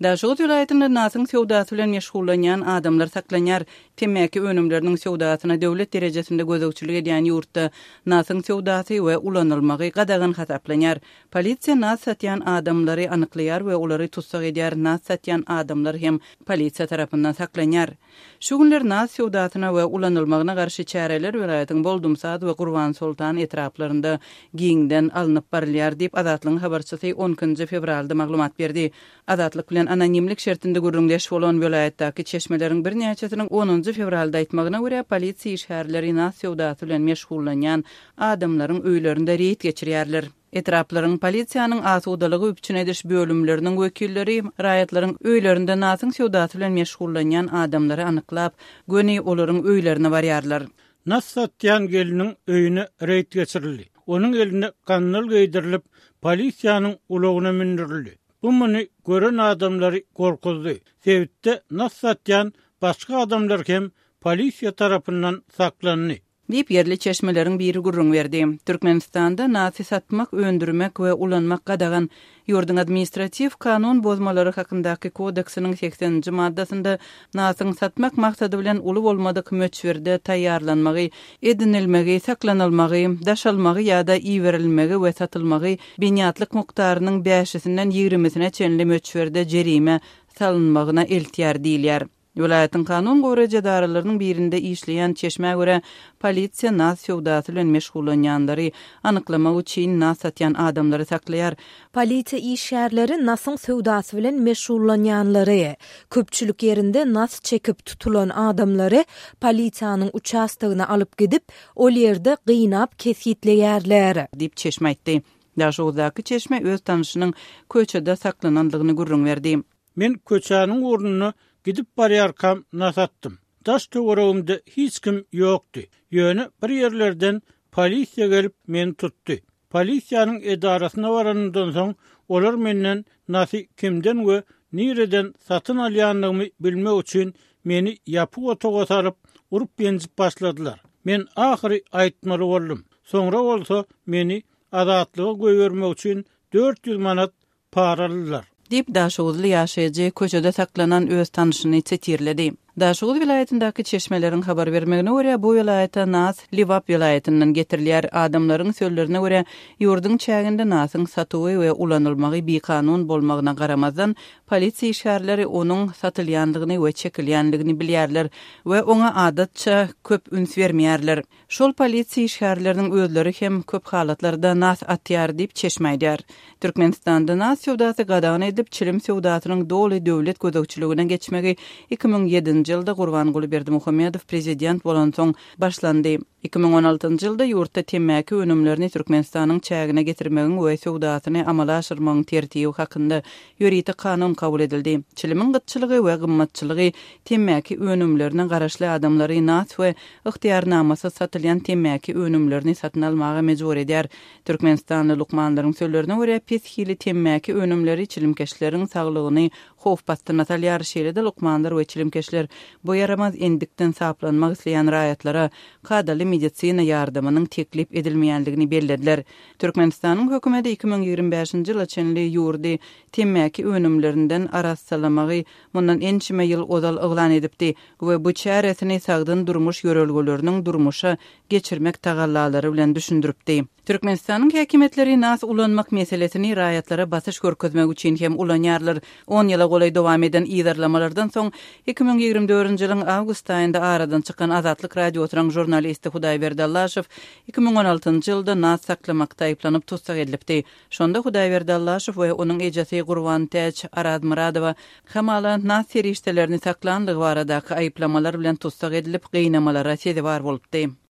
Daşoguz welaýatynda nasyň söwdasy bilen meşgullanýan adamlar saklanýar. Temmäki önümleriniň söwdasyna döwlet derejesinde gözegçilik edýän ýurtda nasyň söwdasy we ulanylmagy gadagan hasaplanýar. Polisiýa nas satýan adamlary anyklaýar we olary tussag edýär, nas satýan adamlar hem polisiýa tarapyndan saklanýar. Şu günler nas söwdasyna we ulanylmagyna garşy çäreler welaýatyň Boldumsaz we Gurbansoltan etraplarynda giňden alnyp barylýar diýip, Azatlygyň habarçysy on ikinji fewralda maglumat berdi. Azatlyk bilen anonimlik şertinde gürrüňdeş bolan welaýatdaky çeşmeleriň birnäçesiniň onunjy fewralda aýtmagyna görä, polisiýa işgärleri nas söwdasy bilen meşgullanýan adamlaryň öýlerinde reýd geçirýärler. Etraplaryň polisiýanyň asudalygy üpjün ediş bölümleriniň wekilleri raýatlaryň öýlerinde nasyň söwdasy bilen meşgullanýan adamlary anyklap, göni olaryň öýlerine barýarlar. Nas satýan gelniň öýüne reýd geçirildi. Onuň eline gandal geýdirilip, polisiýanyň ulagyna mündürildi. Bu muny gören adamlary gorkuzdy. Sebitde nas satýan başga adamlar hem polisiýa tarapyndan saklandy. Diýip, ýerli çeşmeleriň biri gürrüň berdi. Türkmenistanda nasy satmak, öndürmek we ulanmak gadagan. Ýurduň Administratiw kanun bozmalary hakyndaky kodeksiniň segseninji maddasynda nasyň satmak maksady bilen uly bolmadyk möçberde taýýarlanmagy, edinilmegi, saklanylmagy, daşalmagy ýa-da iberilmegi we satylmagy binýatlyk mukdarynyň bäşisinden ýigrimisine çenli möçberde jerime salynmagyna eltýär diýilýär. Welaýatyň kanun goraýjy edaralarynyň birinde işleýän çeşmä görä, polisiýa nas söwdasy bilen meşgullanýanlary anyklamak üçin nas satýan adamlary saklaýar. Polisiýa işgärleri nasyň söwdasy bilen meşgullanýanlary, köpçülik ýerinde nas çekip tutulan adamlary polisiýanyň uçastogyna alyp gidip, ol ýerde gynap kesgitleýärler. Diýip, çeşme aýtdy. Daşoguzdaky çeşme öz tanyşynyň köçede saklanandygyny gürrüň berdi. Men köçäniň ugrunda gidip barýarkam nas atdym. Daş-töweregimde hiç kim ýokdy. Ýöne bir ýerlerden polisiýa gelip meni tutdy. Polisiýanyň edarasyna baranymdan soň olar menden nasy kimden we nireden satyn alýandygymy bilmek üçin meni ýapyk otaga salyp, urup-ýenjip başladylar. Men ahyry aýtmaly boldum. Soňra bolsa meni azatlyga goýbermek üçin 400 manat para aldylar. Diýip, daşoguzly ýaşaýjy köçede saklanan öz tanşyny sitirledi. Daşoguz welaýatyndaky çeşmeleriň habar bermegine görä, bu welaýata nas Lebap welaýatyndan getirilýär. Adamlaryň sözlerine görä, ýurduň çäginde nasyň satuwy we ulanylmagy bikanun bolmagyna garamazdan, polisiýa işgärleri onuň satylýandygyny we çekilýändigini bilýärler we oňa adatça köp üns bermeýärler. Şol polisiýa işgärleriniň özleri hem köp halatlarda nas atýar diýip, çeşme aýdýar. Türkmenistanda nas söwdasy gadagan edilip, çilim söwdasynyň doly döwlet gözegçiligine geçmegi 2007-nji ýylda Gurbanguly Berdimuhamedow prezident bolansoň başlandy. 2016-njy ýylda ýurtda temmäki önümlerini Türkmenistanyň çägine getirmegiň we söwdasyny amala aşyrmagyň tertibi hakynda ýörite kanun kabul edildi. Çilimiň gytçylygy we gymmatçylygy temmäki önümlerine garaşly adamlary nas we ygtyýarnamasyz satylýan temmäki önümlerini satyn almaga mejbur edýär. Türkmenistanly lukmanlaryň sözlerine görä, pes hili temmäki önümleri çilimkeşleriň saglygyny howp astyna salýar. Şeýle-de lukmanlar we çilimkeşler bu ýaramaz endikden saplanmak isleýän raýatlara kadaly medisina ýardamynyň teklip edilmeýändigini bellediler. Türkmenistanyň hökümeti 2025-nji ýyla çenli ýurdy temmäki önümlerinden arassalamagy mundan ençeme ýyl ozal yglan edipdi we bu çäresini sagdyn durmuş ýörelgeleriniň durmuşa geçirmek tagallalary bilen düşündiripdi. Türkmenistanyň häkimiýetleri nas ulanmak meselesini raýatlara basyş görkezmek üçin hem ulanýarlar. On ýyla golaý dowam eden yzarlamalardan soň, 2024-nji ýylyň awgust aýynda aradan çykan Azatlyk Radiosynyň žurnalisti Hudaýberdi Allaşow 2016-njy ýylda nas saklamakda aýyplanyp tussag edilipdi. Şonda Hudaýberdi Allaşow we onuň ejesi Gurbantäç Arazmyradowa hamala nas serişdelerini saklandygy baradaky aýyplamalar bilen tussag edilip, gynamalara sezewar bolupdy.